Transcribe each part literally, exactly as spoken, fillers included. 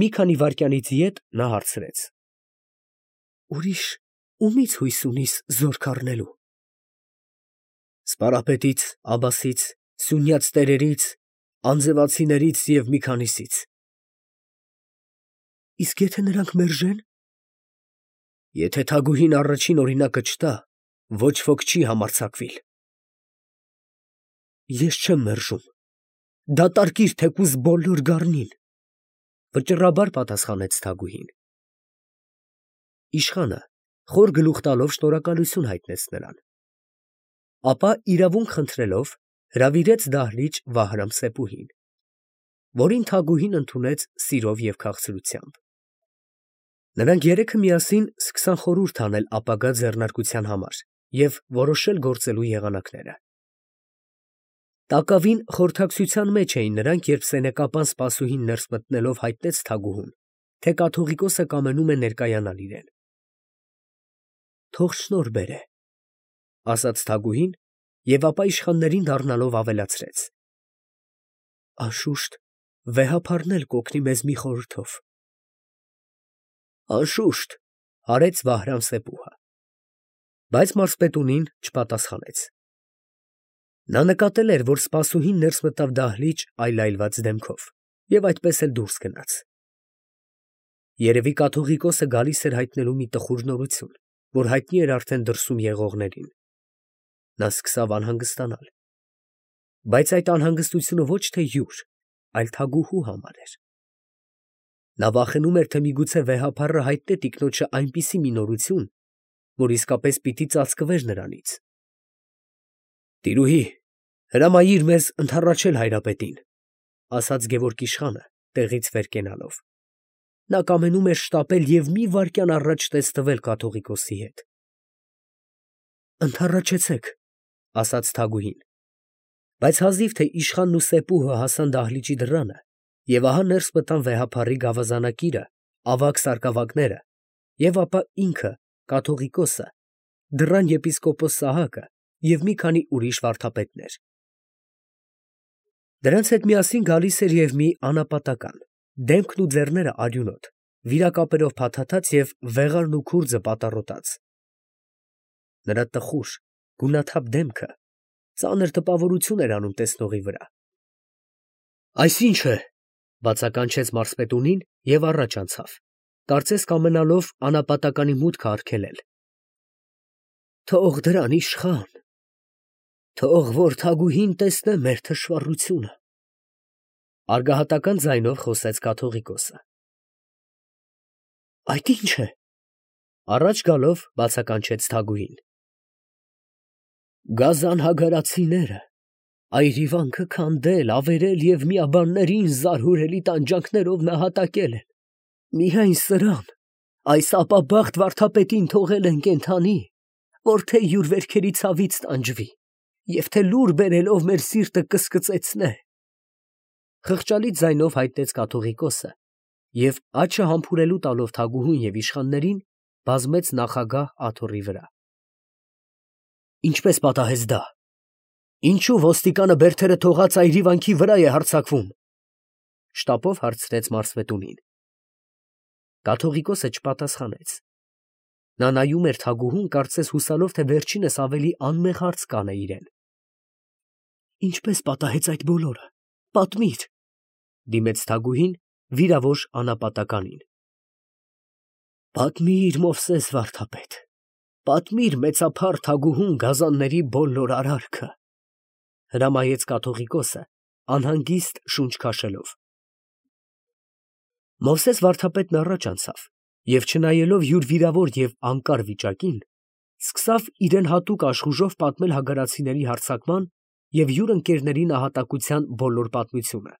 Մի քանի վայրկյանից յետ նա հարցրեց. ֊ Ուրիշ ումի՞ց հույս ունիս զորք առնելու։ ֊ Սպարապետից, Աբբասից, սյունյաց տերերից, անձևացիներից և մի քանիսից։ ֊ Իսկ եթե նրանք մերժե՞ն։ ֊ Եթե թագուհին առաջին օրինակը չտա, ոչ ոք չի համարձակվիլ։ ֊ Ես չեմ մերժում. դատարկիր թեկուզ բոլոր գառնին, ֊ վճռաբար պատասխանեց թագուհին։ Իշխանը խոր գլուխ տալով շնորհակալություն հայտնեց նրան, ապա իրավունք խնդրելով հրավիրեց դահլիճ Վահրամ֊Սեպուհին, որին թագուհին ընդունեց սիրով և քաղցրությամբ։ Նրանք երեքը միասին սկսան խորհուրդ անել ապագա ձեռնարկության համար և որոշել գործելու եղանակները։ Տակավին խորհրդակցության մեջ էին նրանք, երբ սենեկապան սպասուհին ներս մտնելով հայտնեց թագուհուն, թե կաթողիկոսը կամենում է ներկայանալ իրեն։ ֊ Թող շնորհ բերե, ֊ ասաց թագուհին և ապա իշխաններին դառնալով ավելացրեց. ֊ Անշուշտ վեհափառն էլ կօգնի մեզ մի խորհրդով։ ֊ Անշուշտ, ֊ արեց Վահրամ֊Սեպուհը, բայց մարզպետունին չպատասխանեց։ Նա նկատել էր, որ սպասուհին ներս մտավ դահլիճ այլայլված դեմքով և այդպես էլ դուրս գնաց։ Երևի կաթողիկոսը գալիս էր հայտնելու մի տխուր նորություն, որ հայտնի էր արդեն դրսում եղողներին։ Նա սկսավ անհանգստանալ, բայց այդ անհանգստությունը ոչ թե յուր, այլ թագուհու համար էր։ Նա վախենում էր, թե միգուցե վեհափառը հայտնե տիկնոջը այնպիսի մի նորություն, որ իսկապես պիտի ծածկվեր նրանից։ ֊ Տիրուհի, հրամայիր մեզ ընդառաջել հայրապետին, ֊ ասաց Գևորգ իշխանը, տեղից վեր կենալով. նա կամենում էր շտապել և մի վայրկյան առաջ տեսնվել կաթողիկոսի հետ։ ֊ Ընդառաջեցեք, ֊ ասաց թագուհին, բայց հազիվ թե իշխանն ու Սեպուհը հասան դահլիճի դռանը, և ահա ներս մտան վեհափառի գավազանակիրը, ավագ սարկավագները և ապա ինքը, կաթողիկոսը, դռան եպիսկոպոս Սահակը և մի քանի ուրիշ վարդապետներ։ Դրանց հետ միասին գալիս էր և մի անապատական, դեմքն ու ձեռները արյունոտ, վիրակապերով փաթաթած և վեղարն ու քուրձը պատառոտած։ Նրա տխուր, գունաթափ դեմքը ծանր տպավորություն էր անում տեսնողի վրա։ ֊ Այս ի՞նչ է, ֊ բացականչեց մարզպետունին և առաջ անցավ, կարծես կամենալով անապատականի մուտքը արգելել։ ֊ Թող դրան իշխան, թող որ թագուհին տեսնե մեր թշվառությունը, ֊ արգահատական ձայնով խոսեց կաթողիկոսը։ ֊ Այդ ի՞նչ է, ֊ առաջ գալով բացականչեց թագուհին։ ֊ Գազան֊հագարացիները, այրիվանքը քանդել, ավերել և միաբաններին զարհուրելի տանջանքներով նահատակել են, միայն սրան, այս ապաբախտ վարդապետին թողել են կենդանի, որ թե յուր վերքերի ցավից տանջվի և թե լուր բերելով մեր սիրտը կսկծեցնե, ֊ խղճալի ձայնով հայտնեց կաթողիկոսը և, աչքը համբուրելու տալով թագուհուն և իշխաններին, բազմեց նախագահ աթոռի վրա։ ֊ Ինչպե՞ս պատահեց դա. ինչո՞ւ ոստիկանը բերդերը թողած այրիվանքի վրա է հարձակվում, ֊ շտապով հարցրեց մարզպետունին։ Կաթողիկոսը չպատասխանեց։ Նա նայում էր թագուհուն, կարծես հուսալով, թե վերջինս ավելի անմեղ հարց կանե իրան։ ֊ Ինչպե՞ս պատահեց այդ բոլորը, պատմիր, ֊ դիմեց թագուհին վիրավոր անապատականին։ ֊ Պատմիր, Մովսես վարդապետ, պատմիր մեծափառ թագուհուն գազանների բոլոր արարքը, ֊ հրամայեց կաթողիկոսը, անհանգիստ շունչ քաշելով։ Մովսես վարդապետն առաջ անցավ և, չնայելով յուր վիրավոր և անկար վիճակին, սկսավ իրան հատուկ աշխուժով պատմել հագարացիների հարձակման և յուր ընկերների նահատակության բոլոր պատմությունը,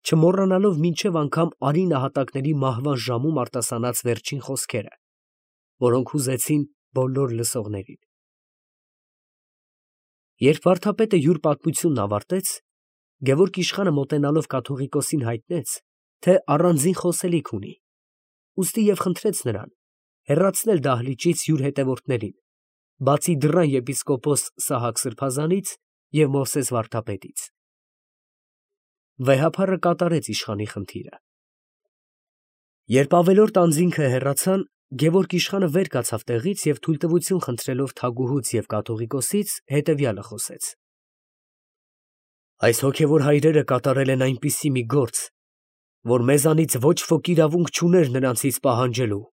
չմոռանալով մինչև անգամ արի նահատակների մահվան ժամում արտասանած վերջին խոսքերը, որոնք հուզեցին բոլոր լսողներին։ Երբ վարդապետը յուր պատմությունն ավարտեց, Գևորգ իշխանը մոտենալով կաթողիկոսին հայտնեց, թե առանձին խոսելիք ունի, ուստի և խնդրեց նրան հեռացնել դահլիճից յուր հետևորդներին, բացի դռան եպիսկոպոս Սահակ սրբազանից և Մովսես վարդապետից։ Վեհափառը կատարեց իշխանի խնդիրը։ Երբ ավելորդ անձինքը հեռացան, Գևորգ իշխանը վեր կացավ տեղից և թույլտվություն խնդրելով թագուհուց և կաթողիկոսից հետևյալը խոսեց. Այս հոգևոր հայրերը կատարել են այնպիսի մի գործ, որ մեզանից ոչ ոք իրավունք չուներ նրանցից պահանջելու.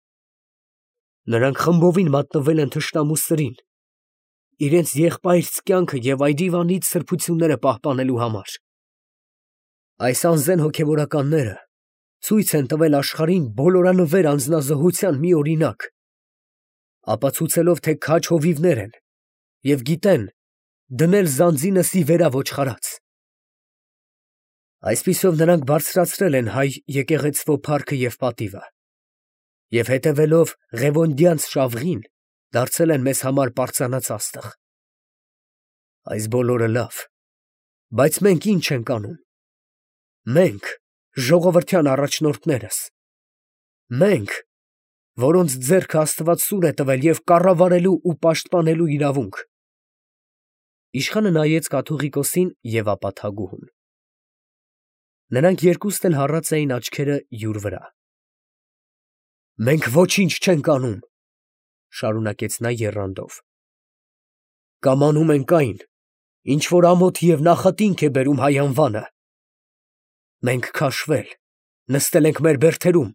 նրանք խմբովին մատնվել են թշնամու սրին, իրենց եղբայրց կյանքը և այրիվանից սրբությունները պահպանելու համար. այս անզեն հոգևորականները ցույց են տվել աշխարհին բոլորանվեր անձնազոհության մի օրինակ, ապացուցելով, թե քաջ հովիվներ են և գիտեն դնել զանձինս ի վերաոչխարած. այսպիսով նրանք բարձրացրել են հայ եկեղեցվո փառքը և պատիվը և հետևելով Ղևոնդյանց շավղին, դարձել են մեզ համար պարծանած աստղ. այս բոլորը լավ, բայց մենք ի՞նչ ենք անում, մենք, ժողովրդյան առաջնորդներս, մենք, որոնց ձեռքը Աստված սուր է տվել և կառավարելու ու պաշտպանելու իրավունք։ Իշխանը նայեց կաթողիկոսին և ապա թագուհուն. նրանք երկուստ էլ հառած էին աչքերը յուր վրա։ Մենք ոչինչ չենք անում, շարունակեց նա եռանդով, կամ անում ենք այն, ինչ որ ամոթ և նախատինք է բերում հայ անվանը։ Մենք քաշվել, նստել ենք մեր բերդերում,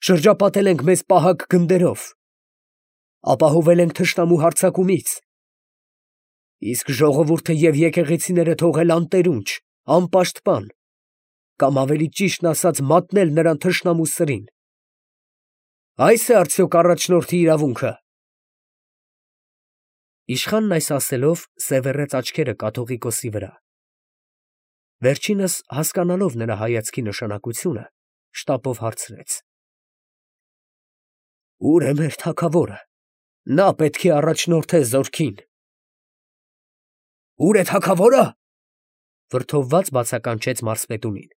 շրջապատել ենք մեզ պահակ գնդերով, ապահովել ենք թշնամու հարձակումից, իսկ ժողովուրդը և եկեղեցիները թողել անտերունջ, անպաշտպան, կամ ավելի ճիշտն ասած մատնել նրան թշնամու սրին։ Ա՞յս է արդյոք առաջնորդի իրավունքը։ Իշխանն այս ասելով սևեռեց աչքերը կաթողիկոսի վրա. վերջինս հասկանալով նրա հայացքի նշանակությունը, շտապով հարցրեց. Ո՞ւր է մեր թագավորը, նա պետք է առաջնորդե զորքին։ Ո՞ւր է թագավորը, վրդովված բացականչեց մարզպետունին։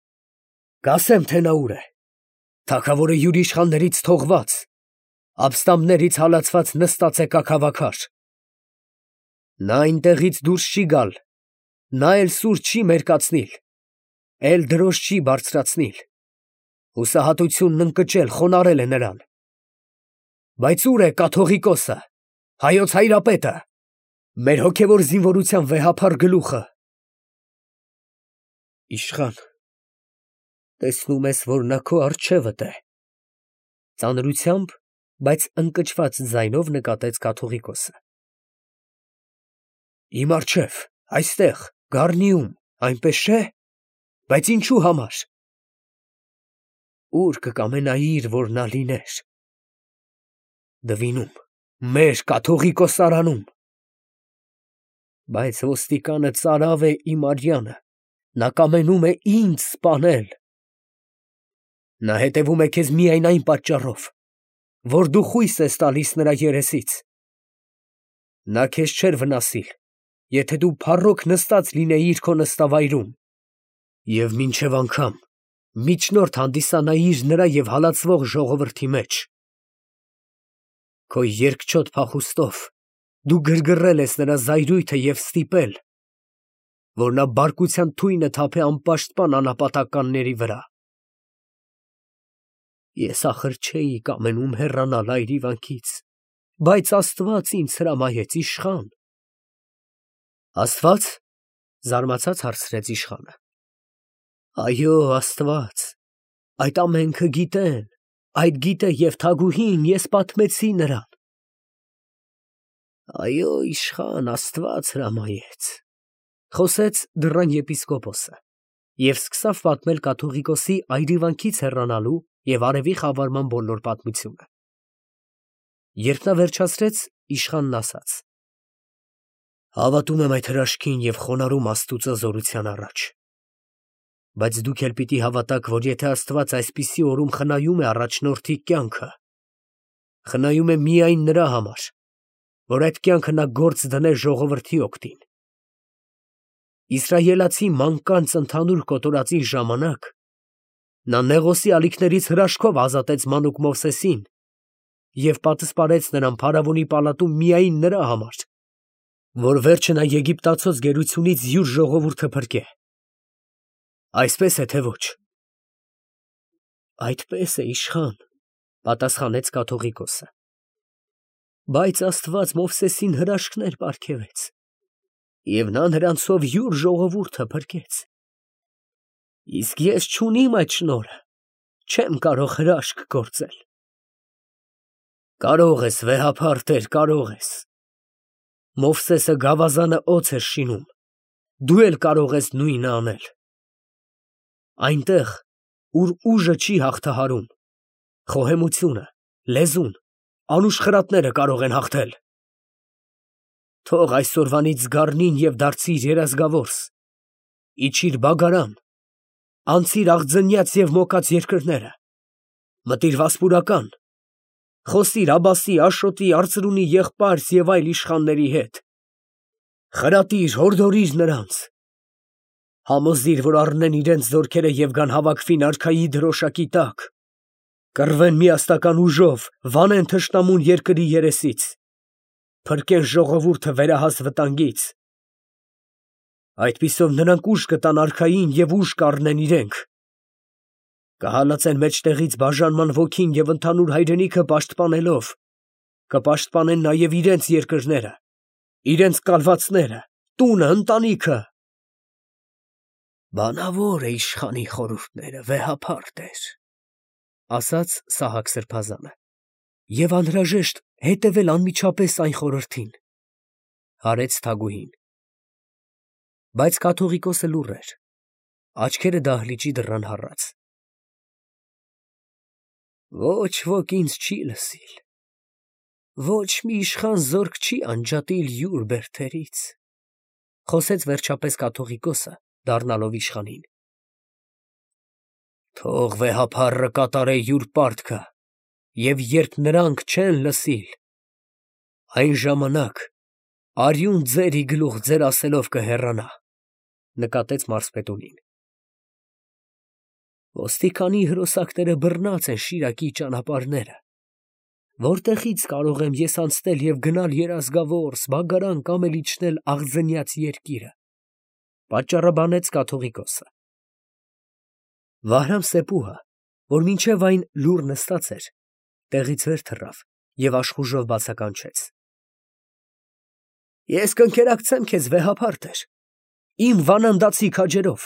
Կասեմ, թե նա ուր է, թագավորը յուր իշխաններից թողված, ապստամբներից հալածված նստած է կաքավաքար։ Նա այնտեղից դուրս չի գալ, նա էլ սուր չի մերկացնիլ, էլ դրոշ չի բարձրացնիլ, հուսահատությունն ընկճել, խոնարհել է նրան։ Բայց ո՞ւր է կաթողիկոսը, հայոց հայրապետը, մեր հոգևոր զինվորության վեհափառ գլուխը։ Իշխան, տեսնում ես, որ նա քո առջևդ է, ծանրությամբ, բայց ընկճված ձայնով նկատեց կաթողիկոսը։ Իմ առջև, այստեղ, գառնիում, այնպես չէ, բայց ինչու համար։ Ո՞ւր կկամենայիր, որ նա լիներ։ Դվինում, մեր կաթողիկոսարանում։ Բայց ոստիկանը ծարավ է իմ արյանը, նա կամենում է ինձ սպանել։ Նա հետևում է քեզ միայն այն պատճառով, որ դու խույս ես տալիս նրա երեսից։ Նա քեզ չէր վնասիլ, եթե դու փառոք նստած լինեիր քո նստավայրում, և մինչև անգամ միջնորդ հանդիսանայիր նրա և հալածվող ժողովրդի մեջ։ Քո երկչոտ փախուստով դու գրգռել ես նրա զայրույթը և ստիպել, որ նա բարկության թույնը թափե անպաշտպան անապատականների վրա։ Ես ախր չէի կամենում հեռանալ այրիվանքից, բայց Աստված ինձ հրամայեց, իշխան։ Աստվա՞ծ, զարմացած հարցրեց իշխանը։ Այո, Աստված, այդ ամենքը գիտեն, այդ գիտե և թագուհին, ես պատմեցի նրան։ Այո, իշխան, Աստված հրամայեց, խոսեց դռան եպիսկոպոսը և սկսավ պատմել կաթողիկոսի այրիվանքից հեռանալու և արևի խավարման բոլոր պատմությունը։ Երբ նա վերջացրեց, իշխանն ասաց. Հավատում եմ այդ հրաշքին և խոնարհում Աստծո զորության առաջ։ Բայց դուք էլ պիտի հավատաք, որ եթե Աստված այսպիսի օրում խնայում է առաջնորդի կյանքը, խնայում է միայն նրա համար, որ այդ կյանքը նա գործ դնե ժողովրդի օգտին։ Իսրայելացի մանկանց ընդհանուր կոտորածի ժամանակ նա Նեղոսի ալիքներից հրաշքով ազատեց մանուկ Մովսեսին և պատսպարեց նրան փարավոնի պալատում միայն նրա համար, որ վերջը նա Եգիպտացոց գերությունից յուր ժողովուրդը փրկե։ Այսպես է, թե ոչ։ Այդպես է, իշխան, պատասխանեց կաթողիկոսը։ Բայց Աստված Մովսեսին հրաշքներ պարգևեց, և նա նրանցով յուր ժողովուրդը փրկեց։ Իսկ ես չունիմ այդ շնորհը, չեմ կարող հրաշք գործել։ Կարող ես, վեհափառ Տեր, կարող ես։ Մովսեսը գավազանը օձ էր շինում, դու էլ կարող ես նույնը անել։ Այնտեղ, ուր ուժը չի հաղթահարում, խոհեմությունը, լեզուն, անուշ խրատները կարող են հաղթել։ Թող այսօրվանից զգառնին և դարձիր երազգավորս, իջիր Բագարան, անցիր աղձնյաց և մոկած երկրները, մտիր Վասպուրական, խոսիր Աբասի, Աշոտի, Արծրունի եղբայրս և այլ իշխանների հետ, խրատիր, հորդորիր նրանց, համոզիր, որ առնեն իրենց զորքերը և գան հավաքվին արքայի դրոշակի տակ, կռվեն միասնական ուժով, վանեն թշնամուն երկրի երեսից, փրկեն ժողովուրդը վերահաս վտանգից։ Այդպիսով նրանք ուժ կտան արքային և ուժ կառնեն իրենք, կհալածեն մեջտեղից բաժանման ոգին և ընդհանուր հայրենիքը պաշտպանելով, կպաշտպանեն նաև իրենց երկրները, իրենց կալվածները, տունը, ընտանիքը։ Բանավոր է իշխանի խորհուրդները, վեհափառ Տեր, ասաց Սահակ սրբազանը, և անհրաժեշտ հետևել անմիջապես այն խորհրդին, հարեց թագուհին։ Բայց կաթողիկոսը լուռ էր, աչքերը դահլիճի դռան հառած։ Ոչ ոք ինձ չի լսիլ, ոչ մի իշխան զորք չի անջատիլ յուր բերդերից, խոսեց վերջապես կաթողիկոսը, դառնալով իշխանին։ Թող վեհափառը կատարե յուր պարտքը, և երբ նրանք չեն լսիլ, այն ժամանակ արյուն ձերի գլուխ ձեր ասելով կհեռանա, նկատեց մարզպետունին։ Ոստիկանի հրոսակները բռնած են Շիրակի ճանապարհները, որտեղից կարող եմ ես անցնել և գնալ Երազգավորս, Բագարան կամ էլ իջնել աղձնյաց երկիրը, պատճառաբանեց կաթողիկոսը։ Վահրամ֊Սեփուհը, որ մինչև այն լուռ նստած էր, տեղից վեր թռավ և աշխուժով բացականչեց. Ես կընկերակցեմ քեզ, վեհափառ Տեր, իմ վանանդացի քաջերով,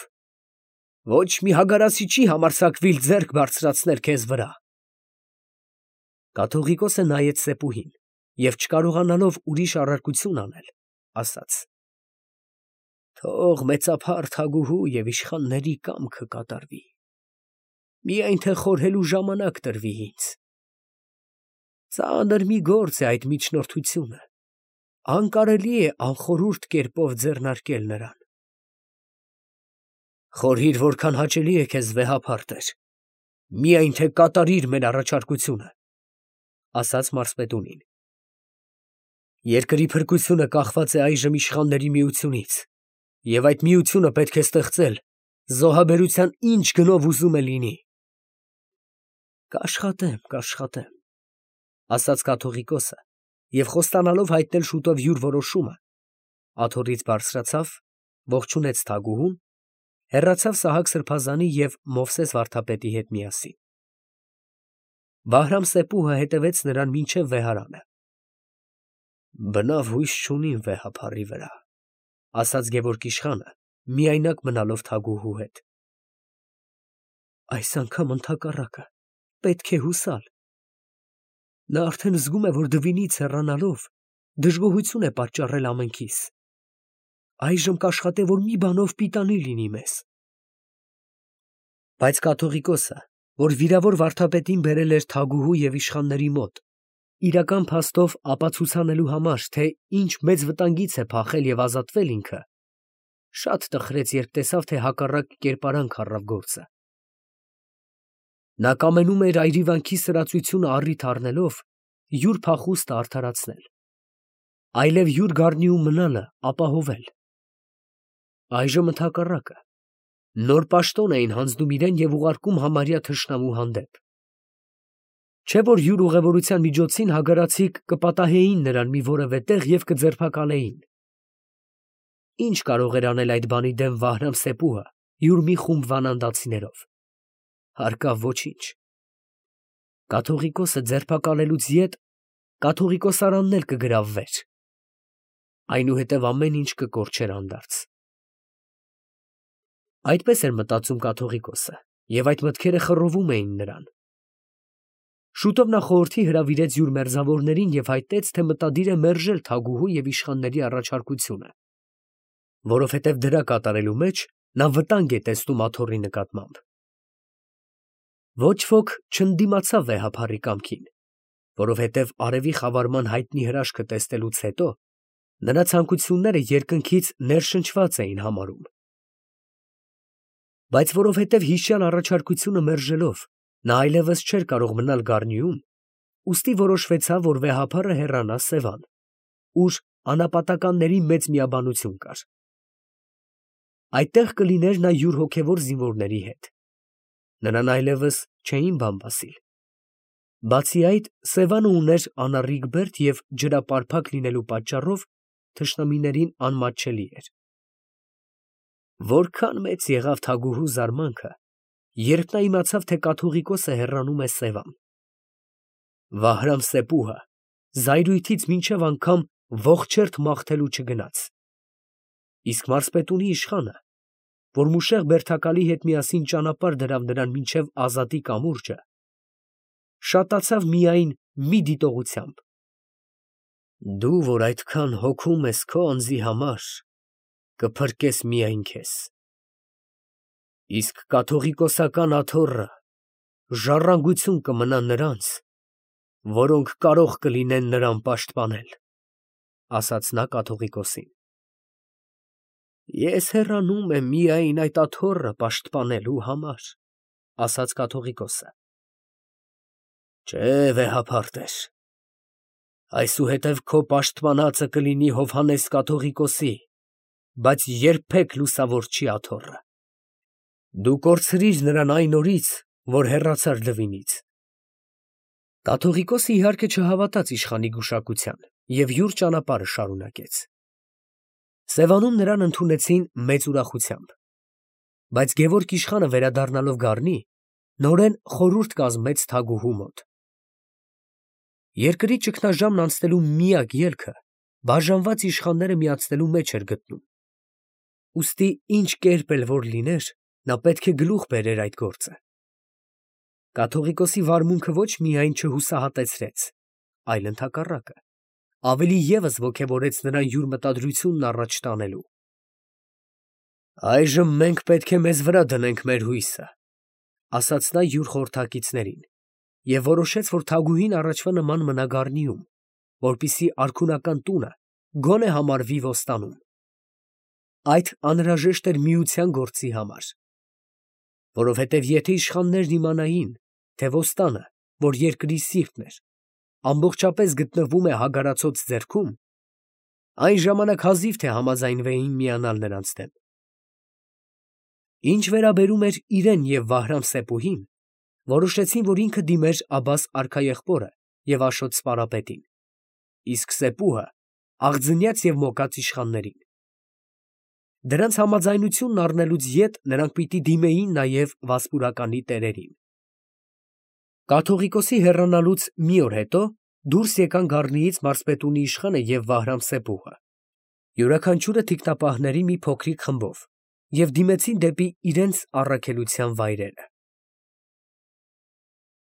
ոչ մի հագարացի չի համարձակվիլ ձեռք բարձրացնել քեզ վրա։ Կաթողիկոսը նայեց Սեփուհին և չկարողանալով ուրիշ առարկություն անել, ասաց. Թող մեծափառ թագուհու և իշխանների կամքը կատարվի, միայն թե խորհելու ժամանակ տրվի ինձ։ Ծանր մի գործ է այդ միջնորդությունը, անկարելի է անխորհուրդ կերպով ձեռնարկել նրան։ Խորհիր, որքան հաճելի է քեզ, վեհափառ Տեր, միայն թե կատարիր մեր առաջարկությունը, ասաց մարզպետունին։ Երկրի փրկությունը կախված է այժմ իշխանների միությունից, և այդ միությունը պետք է ստեղծել զոհաբերության ինչ գնով ուզում է լինի։ Կաշխատեմ, կաշխատեմ, ասաց կաթողիկոսը և խոստանալով հայտնել շուտով յուր որոշումը, աթոռից բարձրացավ, ողջունեց թագուհուն, հեռացավ Սահակ սրբազանի և Մովսես վարդապետի հետ միասին։ Վահրամ֊Սեփուհը հետևեց նրան մինչև վեհարանը։ Բնավ հույս չունիմ վեհափառի վրա, ասաց Գևորգ իշխանը, միայնակ մնալով թագուհու հետ։ Այս անգամ ընդհակառակը, պետք է հուսալ։ Նա արդեն զգում է, որ դվինից հեռանալով դժգոհություն է պատճառել ամենքիս։ Այժմ կաշխատե, որ մի բանով պիտանի լինի մեզ։ Բայց կաթողիկոսը, որ վիրավոր վարդապետին բերել էր թագուհու և իշխանների մոտ, իրական փաստով ապացուցանելու համար, թե ինչ մեծ վտանգից է փախել և ազատվել ինքը, շատ տխրեց, երբ տեսավ, թե հակառակ կերպարանք առավ գործը։ Նա կամենում էր այրիվանքի սրածությունը առիթ առնելով յուր փախուստը արդարացնել, այլև յուր գառնիում մնալը ապահովել։ Այժմ ընդհակառակը, նոր պաշտոն էին հանձնում իրան և ուղարկում համարյա թշնամու հանդեպ։ Չէ՞ որ յուր ուղևորության միջոցին հագարացիք կպատահեին նրան մի որևէ տեղ և կձերբակալեին։ Ինչ կարող էր անել այդ բանի դեմ Վահրամ֊Սեփուհը յուր մի խումբ վանանդացիներով։ Հարկավ ոչինչ։ Կաթողիկոսը ձերբակալելուց յետ կաթողիկոսարանն էլ կգրավվեր, այնուհետև ամեն ինչ կկորչեր հանդարտ։ Այդպես էր մտածում կաթողիկոսը, և այդ մտքերը խռովում էին նրան։ Շուտով նա խորհրդի հրավիրեց յուր մերձավորներին և հայտնեց, թե մտադիր է մերժել թագուհու և իշխանների առաջարկությունը, որովհետև դրա կատարելու մեջ նա վտանգ է տեսնում աթոռի նկատմամբ։ Ոչ ոք չընդդիմացավ վեհափառի կամքին, որովհետև արևի խավարման հայտնի հրաշքը տեսնելուց հետո նրա ցանկությունները երկնքից ներշնչված էին համարում։ Բայց որովհետև հիշյալ առաջարկությունը մերժելով նա այլևս չէր կարող մնալ գառնիում, ուստի որոշվեցավ, որ վեհափառը հեռանա Սևան, ուր անապատականների մեծ միաբանություն կար։ Այդտեղ կլիներ նա յուր հոգևոր զինվորների հետ։ Նրան այլևս չէին բան ասիլ։ Բացի այդ, Սևանը ուներ անառիկ բերդ և ջրապարփակ լինելու պատճառով թշնամիներին անմատչելի էր։ Որքան մեծ եղավ թագուհու զարմանքը, երբ նա իմացավ, թե կաթողիկոսը հեռանում է Սևան։ Վահրամ-Սեպուհը զայրույթից մինչև անգամ ողջերթ մաղթելու չգնաց։ Իսկ մարզպետունի իշխանը, որ մուշեղ բերդակալի հետ միասին ճանապարհ դրավ նրան մինչև Ազատի կամուրջը, շատացավ միայն մի դիտողությամբ. «Դու, որ այդքան հոգում ես քո անձի համար, կփրկես միայն քեզ, իսկ կաթողիկոսական աթոռը ժառանգություն կմնա նրանց, որոնք կարող կլինեն նրան պաշտպանել», ֊ ասաց նա կաթողիկոսին։ «Ես հեռանում եմ միայն այդ աթոռը պաշտպանելու համար», ֊ ասաց կաթողիկոսը։ «Չէ, վեհափառ տեր, այսուհետև քո պաշտպանածը կլինի Հովհաննես կաթողիկոսի, բայց երբեք լուսավոր չի աթոռը։ Դու կորցրիր նրան այն օրից, որ հեռացար Լվինից»։ Կաթողիկոսը իհարկե չհավատաց իշխանի գուշակության և յուր ճանապարհը շարունակեց։ Սևանում նրան ընդունեցին մեծ ուրախությամբ, բայց Գևորգ իշխանը վերադառնալով գառնի, նորեն խորհուրդ կազմեց թագուհու մոտ։ Երկրի ճգնաժամն անցնելու միակ ելքը բաժանված իշխանները միացնելու մեջ էր գտնում, ուստի ինչ կերպ էլ որ լիներ, նա պետք է գլուխ բերեր այդ գործը։ Կաթողիկոսի վարմունքը ոչ միայն չհուսահատեցրեց, այլ ընդհակառակը, ավելի ևս ոգևորեց նրան յուր մտադրությունն առաջ տանելու։ «Այժմ մենք պետք է մեզ վրա դնենք մեր հույսը», ֊ ասաց նա յուր խորհրդակիցներին, և որոշեց, որ թագուհին առաջվա նման մնա գառնիում, որպեսզի արքունական տունը գոնե համարվի ոստանում։ Այդ անհրաժեշտ էր միության գործի համար, որովհետև եթե իշխաններն իմանային, թե ոստանը, որ երկրի սիրտն էր, ամբողջապես գտնվում է հագարացոց ձեռքում, այն ժամանակ հազիվ թե համաձայնվեին միանալ նրանց դեմ։ Ինչ վերաբերում էր իրեն և Վահրամ֊Սեպուհին, որոշեցին, որ ինքը դիմեր Աբբաս արքաեղբորը և Աշոտ սպարապետին, իսկ Սեպուհը աղձնյաց և մոկած իշխաններին։ Դրանց համաձայնությունն առնելուց յետ նրանք պիտի դիմեին նաև վասպուրականի տերերին։ Կաթողիկոսի հեռանալուց մի օր հետո դուրս եկան գառնիից մարզպետունի իշխանը և Վահրամ֊Սեպուհը, յուրաքանչյուրը թիկնապահների մի փոքրիկ խմբով, և դիմեցին դեպի իրենց առաքելության վայրերը։